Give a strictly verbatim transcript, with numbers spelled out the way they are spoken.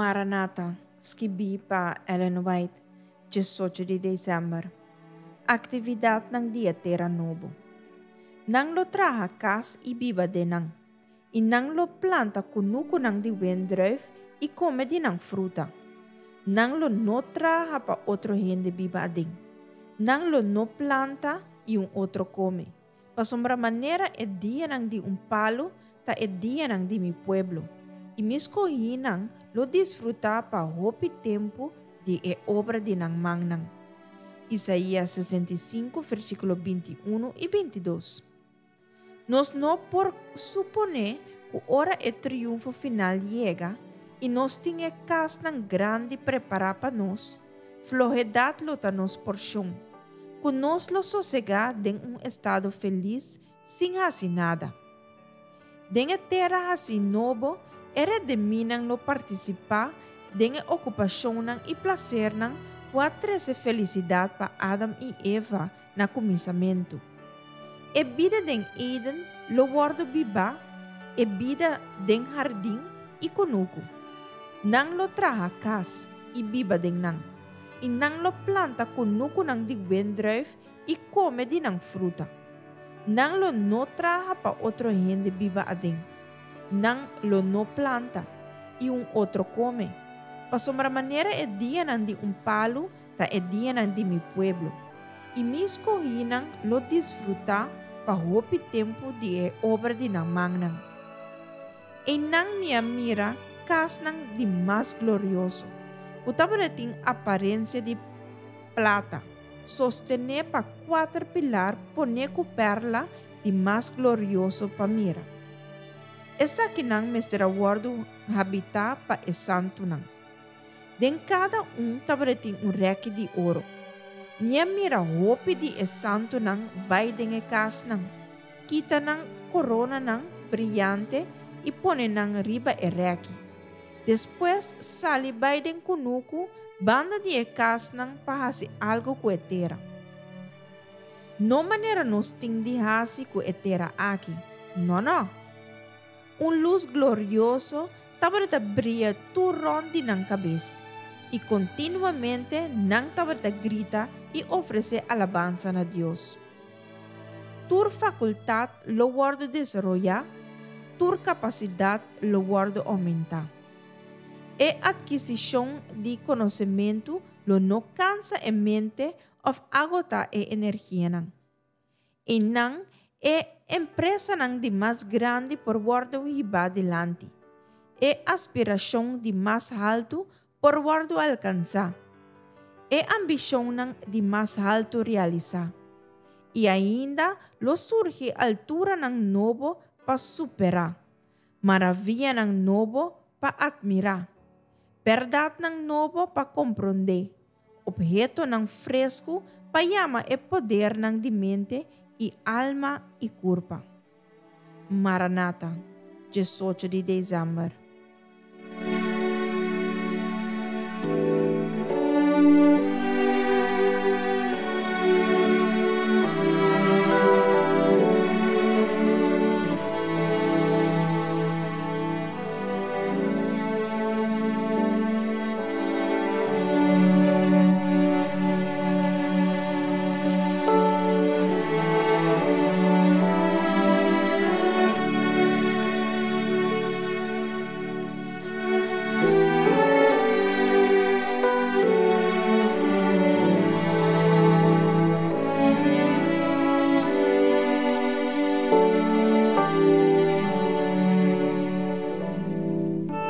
Maranata, skibí pa Ellen White, diesocho di desèmber. Aktividatnan di e tera nobo. Nan lo traha kas i biba den nan, i nan lo planta kunukunan di wendrùif i kome di nan fruta. Nan lo no traha pa otro hende biba aden. Nan lo no planta i un otro kome. Pasobra manera e dianan di un palu ta e dianan di mi pueblo, i mi skohínan lo disfrutá pa hopi tempu di e obra di nan mannan. Isaías sesenta i sinku, versíkulo binti i un i binti i dos. Nos no por suponé ku ora e triunfo final yega i nos tin e kasnan grandi prepará pa nos, flohedat lo ta nos porshon, ku nos lo sosegá den un estado felis sin hasi nada. Den e tera hasí nobo, e redimínan lo partisipá den e okupashonnan i plasernan ku a trese felisidat pa Adam i Eva na kuminsamentu. E bida den Eden lo wòrdu bibá, e bida den hardin i kunuku. Nan lo traha kas i biba den nan, i nan lo planta kunukunan di wendrùif i kome di nan fruta. Nan lo no traha pa otro hende biba aden. Nan lo no planta, i un otro kome. Pasobra manera e dianan di un palu ta e dianan di mi pueblo, i mi skohínan lo disfrutá pa hopi tempu di e obra di nan mannan. Einan mi a mira kasnan di mas glorioso, ku tabatin aparensia di plata, sostené pa kuater pilar poné ku pèrla di mas glorioso pa mira. Esakinan mester a wòrdu habitá pa e santunan. Den kada un tabatin un rèki di oro. Mi a mira hopi di e santunan bai den e kasnan, kita nan koronanan briante i pone nan riba e rèki. Despues sali bai den kunuku banda di e kasnan pa hasi algu ku e tera. No manera nos tin di hasi ku e tera aki. No, no. Un lus glorioso tabata bria tur rònt di nan kabes, i kontinuamente nan tabata grita i ofresé alabansa na Dios. Tur fakultat lo wòrdu desaroyá, tur kapasidat lo wòrdu oumentá. E atkisishon di konosementu lo no kansa e mente òf agotá e energianan. Einan e empresanan di mas grandi por wòrdu hibá dilanti. E aspirashon di mas haltu por wòrdu alkansá. E ambishonnan di mas haltu realisá. I ainda lo surgi alturanan nobo pa superá, maravianan nobo pa atmirá, bèrdatnan nobo pa komprondé, ophetonan fresku pa yama e podernan di mente i alma i kurpa. Maranata, diesocho di desèmber.